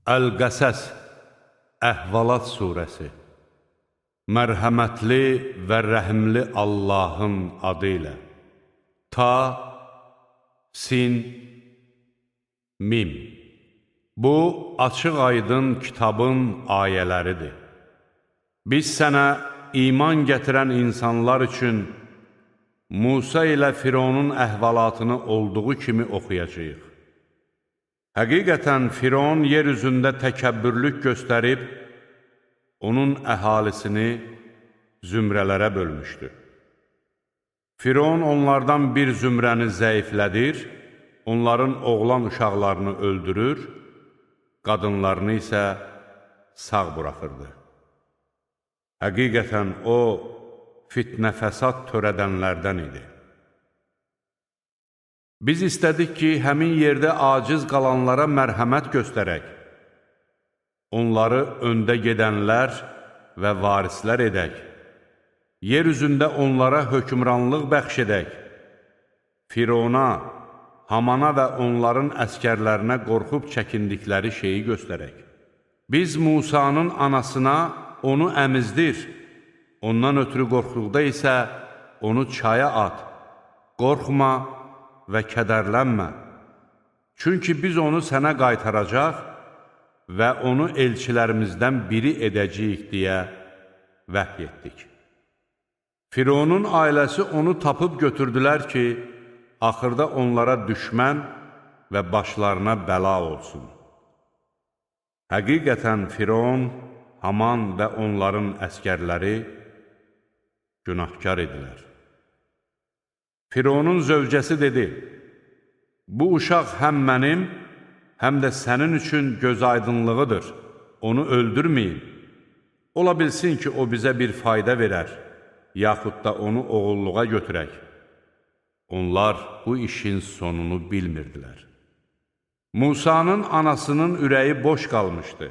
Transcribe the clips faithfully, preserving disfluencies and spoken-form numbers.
Əl-Qəsəs, Əhvalat surəsi. Mərhəmətli və rəhimli Allahın adı ilə. Ta, sin, mim. Bu, açıq aydın kitabın ayələridir. Biz sənə iman gətirən insanlar üçün Musa ilə Fironun əhvalatını olduğu kimi oxuyacağıq. Həqiqətən Firon yer üzündə təkəbbürlük göstərib, onun əhalisini zümrələrə bölmüşdü. Firon onlardan bir zümrəni zəiflədir, onların oğlan uşaqlarını öldürür, qadınlarını isə sağ buraxırdı. Həqiqətən o, fitnə-fəsad törədənlərdən idi. Biz istədik ki, həmin yerdə aciz qalanlara mərhəmət göstərək, onları öndə gedənlər və varislər edək, yer üzündə onlara hökmranlıq bəxş edək, Firona, Hamana və onların əskərlərinə qorxub çəkindikləri şeyi göstərək. Biz Musanın anasına onu əmizdir, ondan ötürü qorxduqda isə onu çaya at, qorxma və kədərlənmə. Çünki biz onu sənə qaytaracaq və onu elçilərimizdən biri edəcəyik deyə vəhy etdik. Fironun ailəsi onu tapıb götürdülər ki, axırda onlara düşmən və başlarına bəla olsun. Həqiqətən Firon, Haman və onların əskərləri günahkar idilər. Fironun zövcəsi dedi, bu uşaq həm mənim, həm də sənin üçün göz aydınlığıdır, onu öldürməyin. Ola bilsin ki, o bizə bir fayda verər, yaxud da onu oğulluğa götürək. Onlar bu işin sonunu bilmirdilər. Musanın anasının ürəyi boş qalmışdı.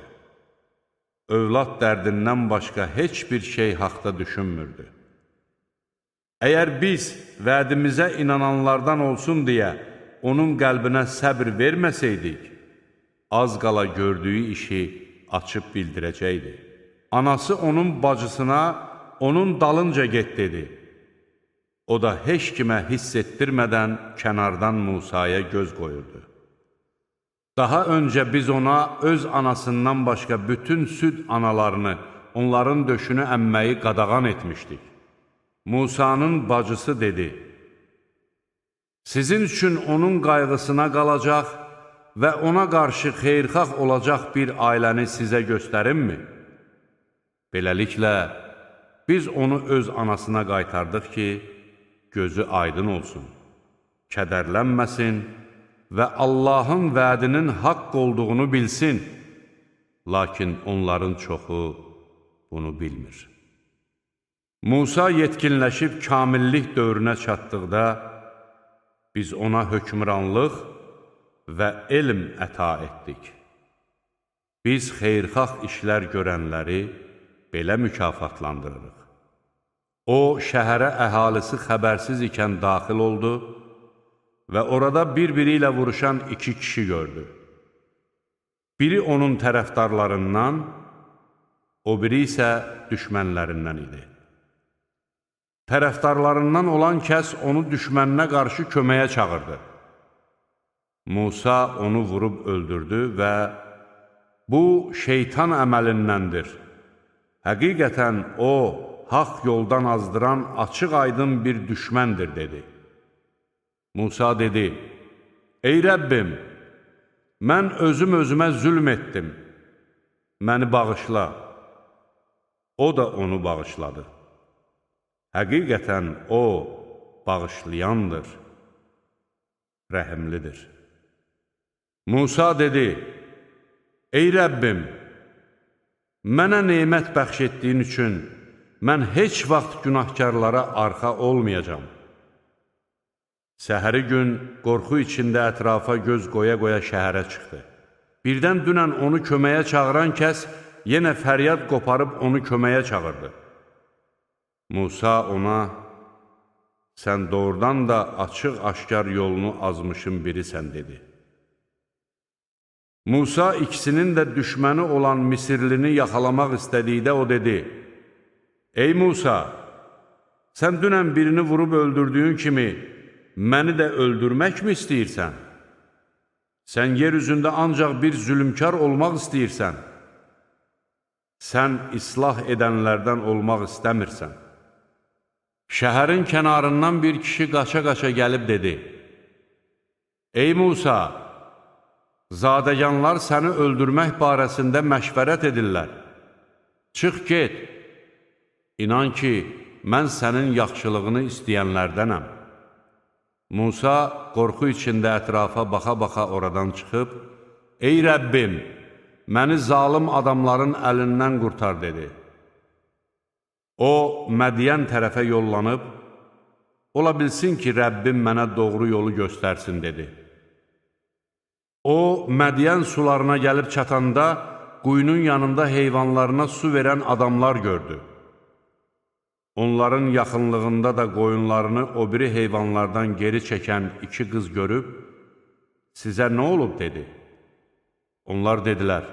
Övlad dərdindən başqa heç bir şey haqda düşünmürdü. Əgər biz vədimizə inananlardan olsun deyə onun qəlbinə səbr verməsəydik, az qala gördüyü işi açıb bildirəcəkdi. Anası onun bacısına, onun dalınca get dedi. O da heç kimə hiss etdirmədən kənardan Musaya göz qoyurdu. Daha öncə biz ona öz anasından başqa bütün süd analarını, onların döşünü əmməyi qadağan etmişdik. Musanın bacısı dedi, sizin üçün onun qayğısına qalacaq və ona qarşı xeyrxax olacaq bir ailəni sizə göstərimmi? Beləliklə, biz onu öz anasına qaytardıq ki, gözü aydın olsun, kədərlənməsin və Allahın vədinin haqq olduğunu bilsin, lakin onların çoxu bunu bilmir. Musa yetkinləşib kamillik dövrünə çatdıqda, biz ona hökmranlıq və elm əta etdik. Biz xeyrxax işlər görənləri belə mükafatlandırırıq. O, şəhərə əhalisi xəbərsiz ikən daxil oldu və orada bir-biri ilə vuruşan iki kişi gördü. Biri onun tərəfdarlarından, o biri isə düşmənlərindən idi. Tərəfdarlarından olan kəs onu düşməninə qarşı köməyə çağırdı. Musa onu vurub öldürdü və bu, şeytan əməlindəndir. Həqiqətən o, haqq yoldan azdıran açıq aydın bir düşməndir, dedi. Musa dedi, ey Rəbbim, mən özüm özümə zülm etdim, məni bağışla. O da onu bağışladı. Həqiqətən o, bağışlayandır, rəhimlidir. Musa dedi, ey Rəbbim, mənə neymət bəxş etdiyin üçün mən heç vaxt günahkarlara arxa olmayacam. Səhəri gün qorxu içində ətrafa göz qoya-qoya şəhərə çıxdı. Birdən dünən onu köməyə çağıran kəs yenə fəryad qoparıb onu köməyə çağırdı. Musa ona, sən doğrudan da açıq-aşkar yolunu azmışın birisən, dedi. Musa ikisinin də düşməni olan Misirlini yaxalamaq istədikdə o dedi, Ey Musa, sən dünən birini vurub öldürdüyün kimi məni də öldürmək mi istəyirsən? Sən yer üzündə ancaq bir zülümkar olmaq istəyirsən. Sən islah edənlərdən olmaq istəmirsən. Şəhərin kənarından bir kişi qaça-qaça gəlib dedi, Ey Musa, zadəganlar səni öldürmək barəsində məşvərət edirlər. Çıx get, inan ki, mən sənin yaxşılığını istəyənlərdənəm. Musa qorxu içində ətrafa baxa-baxa oradan çıxıb, Ey Rəbbim, məni zalım adamların əlindən qurtar, dedi. O, Mədiyən tərəfə yollanıb, ola bilsin ki, Rəbbim mənə doğru yolu göstərsin, dedi. O, Mədiyən sularına gəlib çatanda, quyunun yanında heyvanlarına su verən adamlar gördü. Onların yaxınlığında da qoyunlarını o biri heyvanlardan geri çəkən iki qız görüb, sizə nə olub, dedi. Onlar dedilər,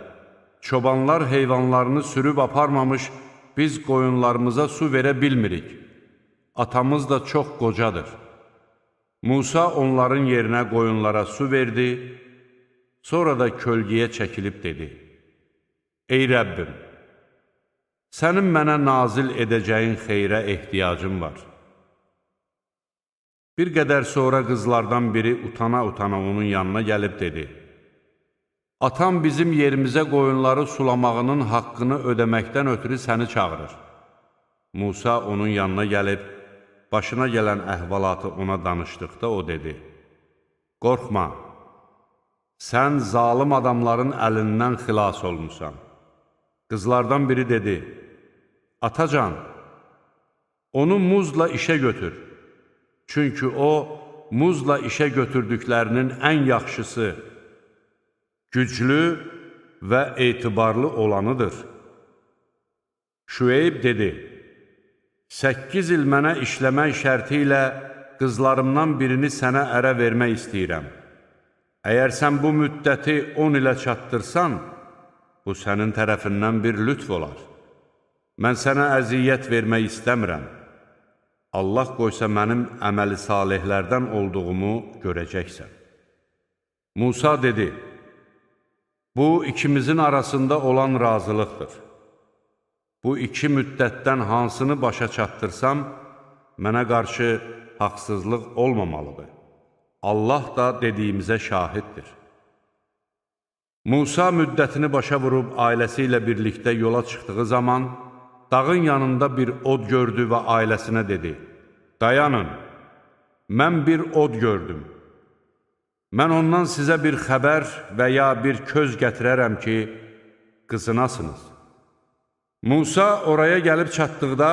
çobanlar heyvanlarını sürüb aparmamış, biz qoyunlarımıza su verə bilmirik. Atamız da çox qocadır. Musa onların yerinə qoyunlara su verdi, sonra da kölgəyə çəkilib dedi, Ey Rəbbim, sənin mənə nazil edəcəyin xeyrə ehtiyacım var. Bir qədər sonra qızlardan biri utana-utana onun yanına gəlib dedi, Atam bizim yerimizə qoyunları sulamağının haqqını ödəməkdən ötürü səni çağırır. Musa onun yanına gəlib, başına gələn əhvalatı ona danışdıqda o dedi, Qorxma, sən zalım adamların əlindən xilas olmusan. Qızlardan biri dedi, Atacan, onu muzla işə götür. Çünki o, muzla işə götürdüklərinin ən yaxşısı, güclü və etibarlı olanıdır. Şüeyb dedi, Səkkiz il mənə işləmək şərti ilə qızlarımdan birini sənə ərə vermək istəyirəm. Əgər sən bu müddəti on ilə çatdırsan, bu sənin tərəfindən bir lütf olar. Mən sənə əziyyət vermək istəmirəm. Allah qoysa mənim əməli salihlərdən olduğumu görəcəksən. Musa dedi, bu ikimizin arasında olan razılıqdır. Bu iki müddətdən hansını başa çatdırsam, mənə qarşı haqsızlıq olmamalıdır. Allah da dediyimizə şahiddir. Musa müddətini başa vurub ailəsi ilə birlikdə yola çıxdığı zaman, dağın yanında bir od gördü və ailəsinə dedi, Dayanın, mən bir od gördüm. Mən ondan sizə bir xəbər və ya bir köz gətirərəm ki, qızınasınız. Musa oraya gəlib çatdıqda,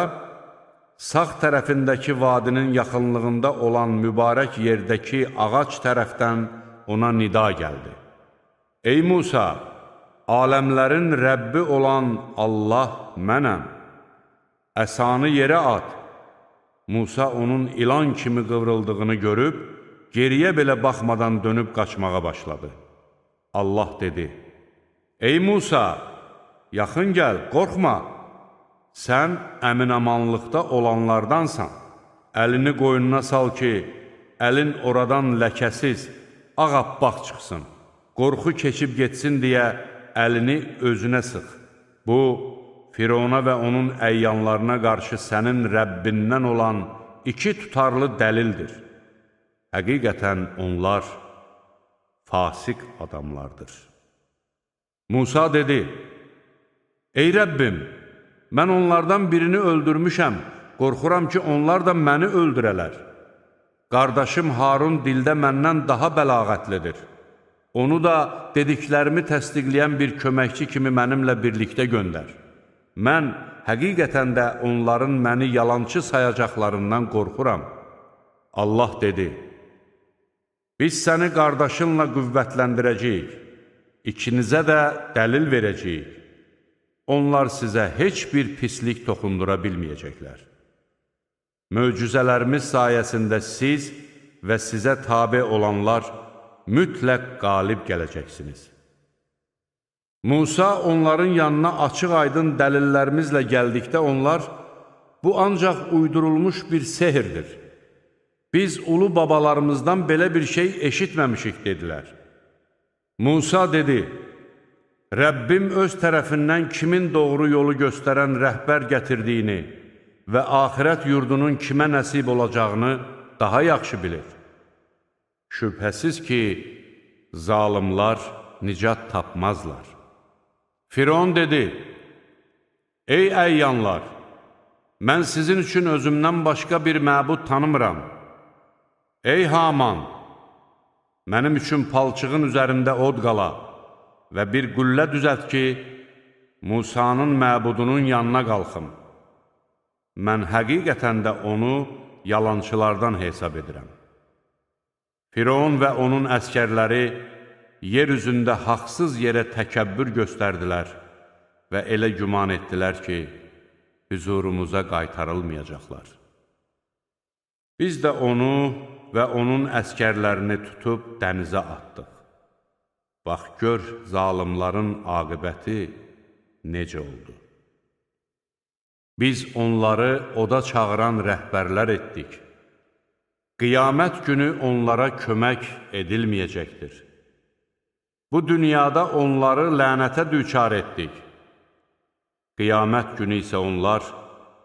sağ tərəfindəki vadinin yaxınlığında olan mübarək yerdəki ağac tərəfdən ona nida gəldi. Ey Musa, aləmlərin Rəbbi olan Allah mənəm, əsanı yerə at. Musa onun ilan kimi qıvrıldığını görüb, geriyə belə baxmadan dönüb qaçmağa başladı. Allah dedi, Ey Musa, yaxın gəl, qorxma, sən əmin-amanlıqda olanlardansan. Əlini qoynuna sal ki, əlin oradan ləkəsiz, ağappaq çıxsın. Qorxu keçib getsin deyə əlini özünə sıx. Bu, Firona və onun əyyanlarına qarşı sənin Rəbbindən olan iki tutarlı dəlildir. Həqiqətən onlar fasik adamlardır. Musa dedi, Ey Rəbbim, mən onlardan birini öldürmüşəm, qorxuram ki, onlar da məni öldürələr. Qardaşım Harun dildə məndən daha bəlağətlidir. Onu da dediklərimi təsdiqləyən bir köməkçi kimi mənimlə birlikdə göndər. Mən həqiqətən də onların məni yalançı sayacaqlarından qorxuram. Allah dedi, biz səni qardaşınla qüvvətləndirəcəyik, ikinizə də dəlil verəcəyik. Onlar sizə heç bir pislik toxundura bilməyəcəklər. Möcüzələrimiz sayəsində siz və sizə tabe olanlar mütləq qalib gələcəksiniz. Musa onların yanına açıq-aydın dəlillərimizlə gəldikdə onlar, bu ancaq uydurulmuş bir sehirdir. Biz ulu babalarımızdan belə bir şey eşitməmişik, dedilər. Musa dedi, Rəbbim öz tərəfindən kimin doğru yolu göstərən rəhbər gətirdiyini və axirət yurdunun kimə nəsib olacağını daha yaxşı bilir. Şübhəsiz ki, zalimlar nicat tapmazlar. Firon dedi, ey əyyanlar, mən sizin üçün özümdən başqa bir məbud tanımıram. Ey Haman, mənim üçün palçığın üzərində od qala və bir qüllə düzət ki, Musanın məbudunun yanına qalxım. Mən həqiqətən də onu yalançılardan hesab edirəm. Firon və onun əskərləri yer üzündə haqsız yerə təkəbbür göstərdilər və elə güman etdilər ki, hüzurumuza qaytarılmayacaqlar. Biz də onu və onun əskərlərini tutub dənizə atdıq. Bax, gör, zalimların aqibəti necə oldu. Biz onları oda çağıran rəhbərlər etdik. Qiyamət günü onlara kömək edilməyəcəkdir. Bu dünyada onları lənətə düçar etdik. Qiyamət günü isə onlar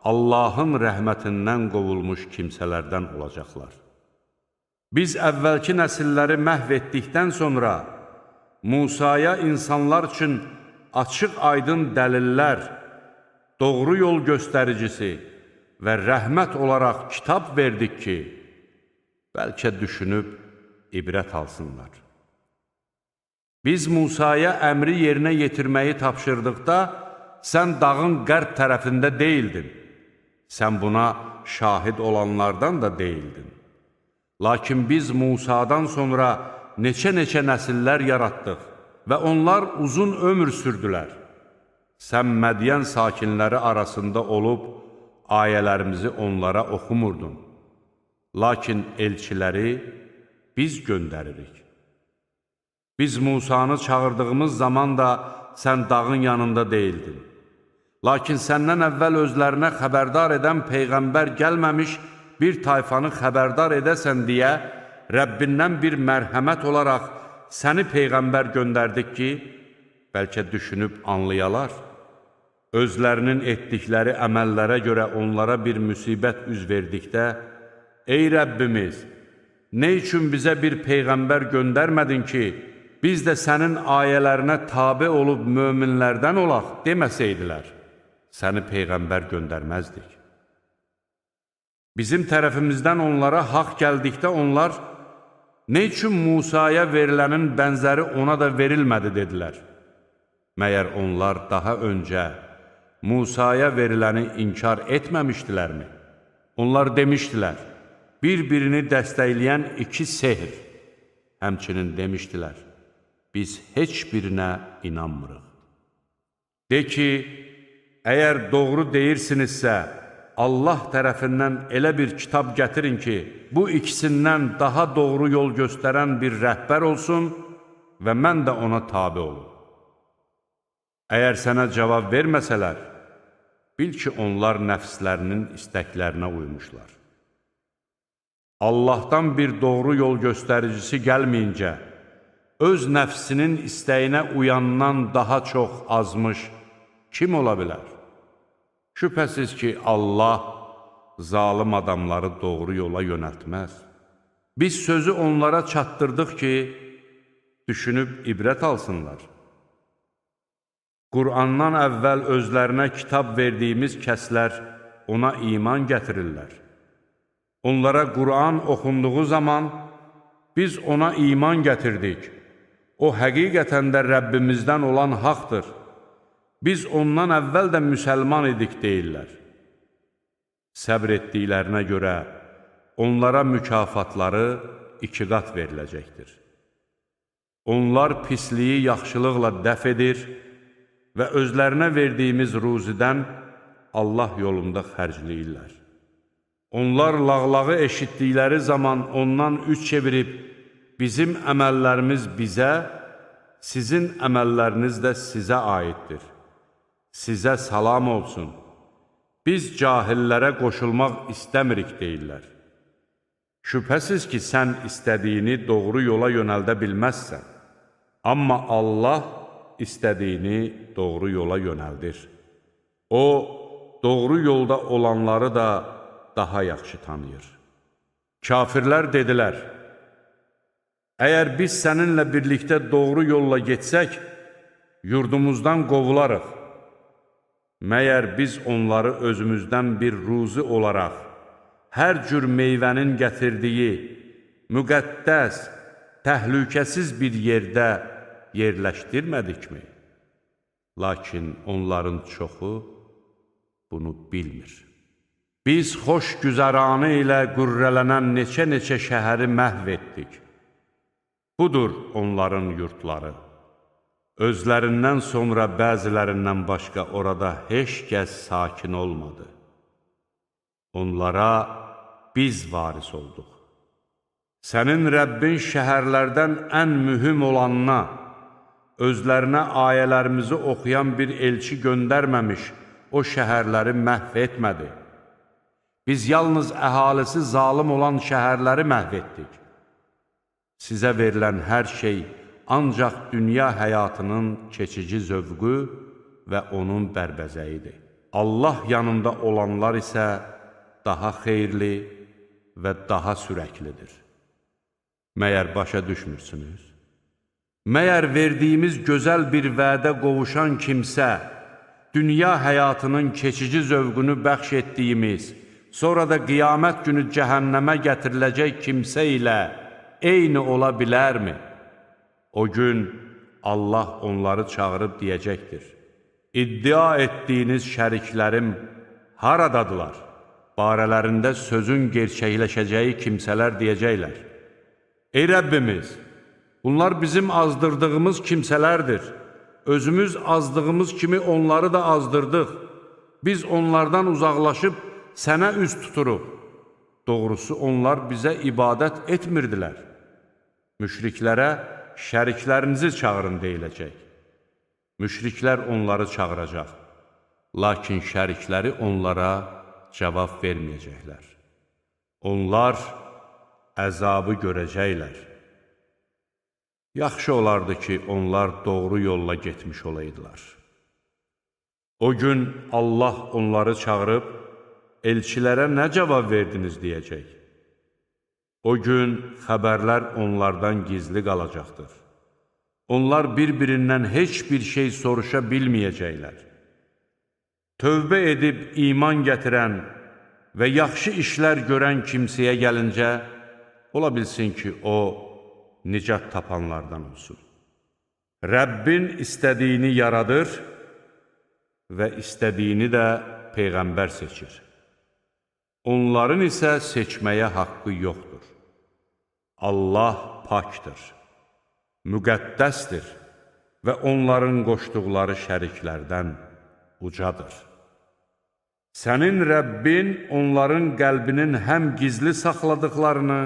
Allahın rəhmətindən qovulmuş kimsələrdən olacaqlar. Biz əvvəlki nəsilləri məhv etdikdən sonra Musaya insanlar üçün açıq-aydın dəlillər, doğru yol göstəricisi və rəhmət olaraq kitab verdik ki, bəlkə düşünüb ibrət alsınlar. Biz Musaya əmri yerinə yetirməyi tapşırdıqda, sən dağın qərb tərəfində deyildin. Sən buna şahid olanlardan da deyildin. Lakin biz Musadan sonra neçə-neçə nəsillər yaratdıq və onlar uzun ömür sürdülər. Sən Mədiyən sakinləri arasında olub, ayələrimizi onlara oxumurdun. Lakin elçiləri biz göndəririk. Biz Musanı çağırdığımız zaman da sən dağın yanında deyildin. Lakin səndən əvvəl özlərinə xəbərdar edən Peyğəmbər gəlməmiş bir tayfanı xəbərdar edəsən deyə, Rəbbindən bir mərhəmət olaraq səni Peyğəmbər göndərdik ki, bəlkə düşünüb anlayalar. Özlərinin etdikləri əməllərə görə onlara bir müsibət üz verdikdə, ey Rəbbimiz, nə üçün bizə bir Peyğəmbər göndərmədin ki, biz də sənin ayələrinə tabe olub möminlərdən olaq deməsəydilər, səni Peyğəmbər göndərməzdik. Bizim tərəfimizdən onlara haqq gəldikdə onlar, nə üçün Musaya verilənin bənzəri ona da verilmədi, dedilər. Məyər onlar daha öncə Musaya veriləni inkar etməmişdilərmi? Onlar demişdilər, bir-birini dəstəkləyən iki sehr. Həmçinin demişdilər, biz heç birinə inanmırıq. De ki, əgər doğru deyirsinizsə, Allah tərəfindən elə bir kitab gətirin ki, bu ikisindən daha doğru yol göstərən bir rəhbər olsun və mən də ona tabe olum. Əgər sənə cavab verməsələr, bil ki, onlar nəfslərinin istəklərinə uymuşlar. Allahdan bir doğru yol göstəricisi gəlməyincə, öz nəfsinin istəyinə uyandan daha çox azmış kim ola bilər? Şübhəsiz ki, Allah zalım adamları doğru yola yönəltməz. Biz sözü onlara çatdırdıq ki, düşünüb ibrət alsınlar. Qur'andan əvvəl özlərinə kitab verdiyimiz kəslər ona iman gətirirlər. Onlara Qur'an oxunduğu zaman biz ona iman gətirdik. O həqiqətən də Rəbbimizdən olan haqdır. Biz ondan əvvəl də müsəlman idik deyirlər. Səbr etdiklərinə görə onlara mükafatları iki qat veriləcəkdir. Onlar pisliyi yaxşılıqla dəf edir və özlərinə verdiyimiz ruzidən Allah yolunda xərcləyirlər. Onlar lağlağı eşitdikləri zaman ondan üç çevirib, bizim əməllərimiz bizə, sizin əməlləriniz də sizə aiddir. Sizə salam olsun. Biz cahillərə qoşulmaq istəmirik deyirlər. Şübhəsiz ki, sən istədiyini doğru yola yönəldə bilməzsən. Amma Allah istədiyini doğru yola yönəldir. O, doğru yolda olanları da daha yaxşı tanıyır. Kafirlər dedilər, əgər biz səninlə birlikdə doğru yolla getsək, yurdumuzdan qovularıq. Məyər biz onları özümüzdən bir ruzi olaraq, hər cür meyvənin gətirdiyi, müqəddəs, təhlükəsiz bir yerdə yerləşdirmədikmi? Lakin onların çoxu bunu bilmir. Biz xoş güzəranı ilə qürrələnən neçə-neçə şəhəri məhv etdik. Budur onların yurtları. Özlərindən sonra bəzilərindən başqa orada heç kəs sakin olmadı. Onlara biz varis olduq. Sənin Rəbbin şəhərlərdən ən mühüm olanına, özlərinə ayələrimizi oxuyan bir elçi göndərməmiş, o şəhərləri məhv etmədi. Biz yalnız əhalisi zalım olan şəhərləri məhv etdik. Sizə verilən hər şey ancaq dünya həyatının keçici zövqü və onun bərbəzəyidir. Allah yanında olanlar isə daha xeyirli və daha sürəklidir. Məyər başa düşmürsünüz? Məyər verdiyimiz gözəl bir vədə qovuşan kimsə, dünya həyatının keçici zövqünü bəxş etdiyimiz, sonra da qiyamət günü cəhənnəmə gətiriləcək kimsə ilə eyni ola bilərmi? O gün Allah onları çağırıb deyəcəkdir. İddia etdiyiniz şəriklərim haradadılar? Barələrində sözün gerçəkləşəcəyi kimsələr deyəcəklər. Ey Rəbbimiz, bunlar bizim azdırdığımız kimsələrdir. Özümüz azdığımız kimi onları da azdırdıq. Biz onlardan uzaqlaşıb sənə üz tuturuq. Doğrusu onlar bizə ibadət etmirdilər. Müşriklərə şəriklərinizi çağırın deyiləcək. Müşriklər onları çağıracaq. Lakin şərikləri onlara cavab verməyəcəklər. Onlar əzabı görəcəklər. Yaxşı olardı ki, onlar doğru yolla getmiş olaydılar. O gün Allah onları çağırıb, elçilərə nə cavab verdiniz deyəcək. O gün xəbərlər onlardan gizli qalacaqdır. Onlar bir-birindən heç bir şey soruşa bilməyəcəklər. Tövbə edib iman gətirən və yaxşı işlər görən kimsəyə gəlincə, ola bilsin ki, o, nicat tapanlardan olsun. Rəbbin istədiyini yaradır və istədiyini də Peyğəmbər seçir. Onların isə seçməyə haqqı yoxdur. Allah pakdır, müqəddəsdir və onların qoşduqları şəriklərdən ucadır. Sənin Rəbbin onların qəlbinin həm gizli saxladıqlarını,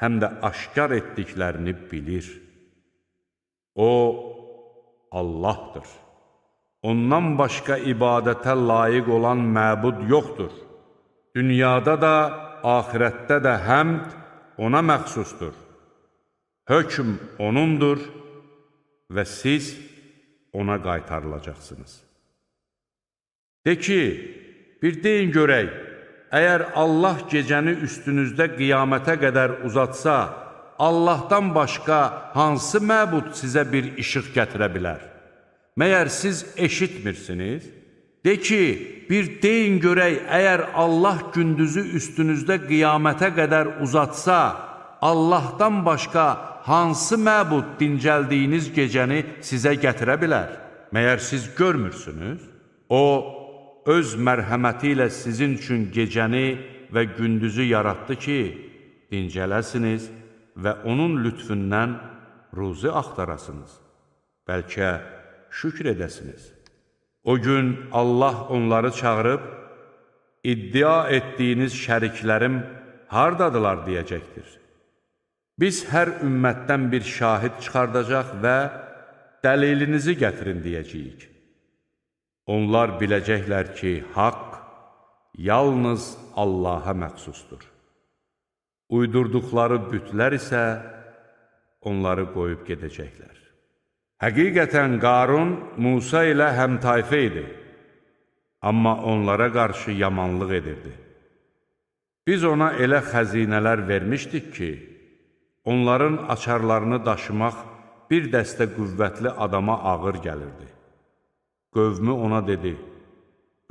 həm də aşkar etdiklərini bilir. O, Allahdır. Ondan başqa ibadətə layiq olan məbud yoxdur. Dünyada da, axirətdə də həmd ona məxsusdur. Hökm onundur və siz ona qaytarılacaqsınız. De ki, bir deyin görək, əgər Allah gecəni üstünüzdə qiyamətə qədər uzatsa, Allahdan başqa hansı məbud sizə bir işıq gətirə bilər? Məyər siz eşitmirsiniz? De ki, bir deyin görək, əgər Allah gündüzü üstünüzdə qiyamətə qədər uzatsa, Allahdan başqa hansı məbud dincəldiyiniz gecəni sizə gətirə bilər? Məyər siz görmürsünüz? O, öz mərhəməti ilə sizin üçün gecəni və gündüzü yaratdı ki, dincələsiniz və onun lütfündən ruzi axtarasınız. Bəlkə şükr edəsiniz. O gün Allah onları çağırıb, iddia etdiyiniz şəriklərim hardadılar deyəcəkdir. Biz hər ümmətdən bir şahid çıxardacaq və dəlilinizi gətirin deyəcəyik. Onlar biləcəklər ki, haqq yalnız Allaha məxsusdur. Uydurduqları bütlər isə onları qoyub gedəcəklər. Həqiqətən Qarun Musa ilə həmtayfə idi, amma onlara qarşı yamanlıq edirdi. Biz ona elə xəzinələr vermişdik ki, onların açarlarını daşımaq bir dəstə qüvvətli adama ağır gəlirdi. Qövmü ona dedi,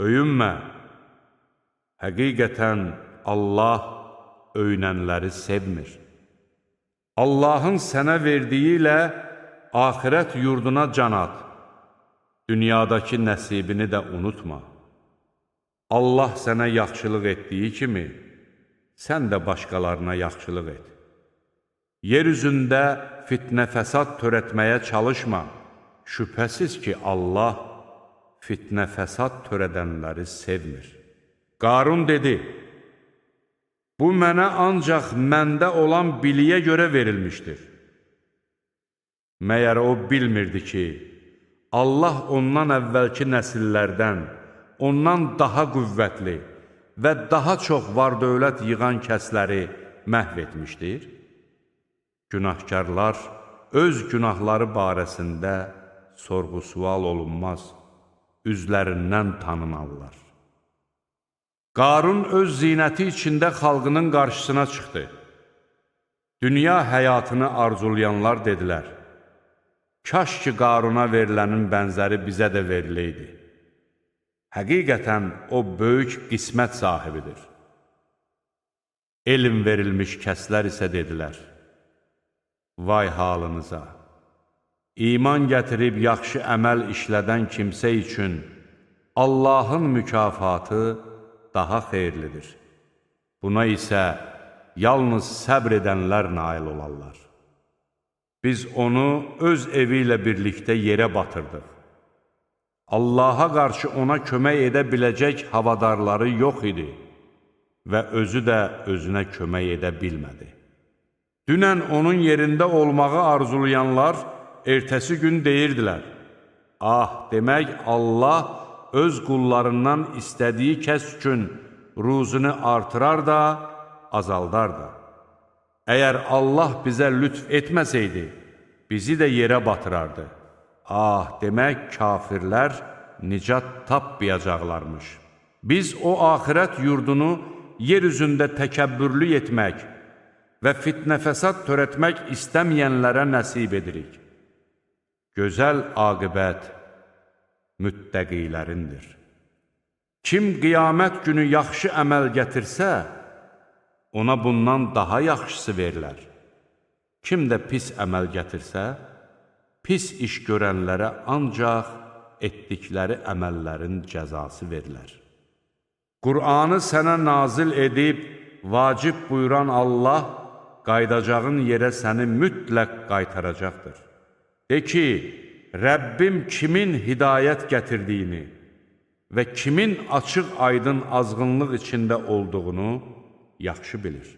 öyünmə, həqiqətən Allah öyünənləri sevmir. Allahın sənə verdiyi ilə axirət yurduna can at, dünyadakı nəsibini də unutma. Allah sənə yaxşılıq etdiyi kimi, sən də başqalarına yaxşılıq et. Yer üzündə fitnə fəsad törətməyə çalışma. Şübhəsiz ki, Allah fitnə fəsad törədənləri sevmir. Qarun dedi, bu mənə ancaq məndə olan biliyə görə verilmişdir. Məyər o bilmirdi ki, Allah ondan əvvəlki nəsillərdən, ondan daha qüvvətli və daha çox var-dövlət yığan kəsləri məhv etmişdir? Günahkarlar öz günahları barəsində sorğu-sual olunmaz, üzlərindən tanınarlar. Qarun öz zinəti içində xalqının qarşısına çıxdı. Dünya həyatını arzulayanlar dedilər, kaş ki, Qaruna verilənin bənzəri bizə də veriləydi. Həqiqətən o böyük qismət sahibidir. Elm verilmiş kəslər isə dedilər, vay halınıza! İman gətirib yaxşı əməl işlədən kimsə üçün Allahın mükafatı daha xeyirlidir. Buna isə yalnız səbr edənlər nail olarlar. Biz onu öz evi ilə birlikdə yerə batırdıq. Allaha qarşı ona kömək edə biləcək havadarları yox idi və özü də özünə kömək edə bilmədi. Dünən onun yerində olmağı arzulayanlar ertəsi gün deyirdilər, ah, demək Allah öz qullarından istədiyi kəs üçün ruzunu artırar da, azaldar da. Əgər Allah bizə lütf etməsəydi, bizi də yerə batırardı. Ah, demək kafirlər nicat tapmayacaqlarmış. Biz o axirət yurdunu yer üzündə təkəbbürlü etmək və fitnə-fəsad törətmək istəməyənlərə nəsib edirik. Gözəl aqibət müttəqilərindir. Kim qiyamət günü yaxşı əməl gətirsə, ona bundan daha yaxşısı verilər. Kim də pis əməl gətirsə, pis iş görənlərə ancaq etdikləri əməllərin cəzası verilər. Qur'anı sənə nazil edib, vacib buyuran Allah, qaydacağın yerə səni mütləq qaytaracaqdır. De ki, Rəbbim kimin hidayət gətirdiyini və kimin açıq aydın azğınlıq içində olduğunu yaxşı bilir.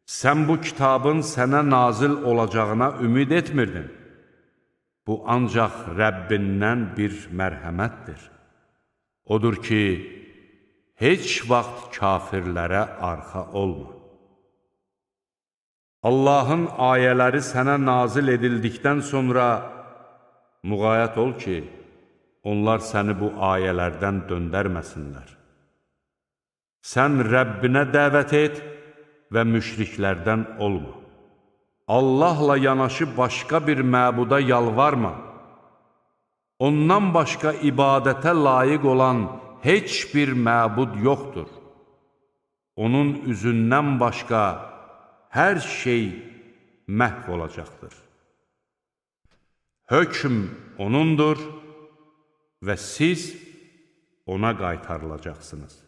Sən bu kitabın sənə nazil olacağına ümid etmirdin. Bu ancaq Rəbbindən bir mərhəmətdir. Odur ki, heç vaxt kafirlərə arxa olma. Allahın ayələri sənə nazil edildikdən sonra müğayət ol ki, onlar səni bu ayələrdən döndərməsinlər. Sən Rəbbinə dəvət et və müşriklərdən olma. Allahla yanaşı başqa bir məbuda yalvarma. Ondan başqa ibadətə layiq olan heç bir məbud yoxdur. Onun üzündən başqa hər şey məhv olacaqdır. Hökm onundur və siz ona qaytarılacaqsınız.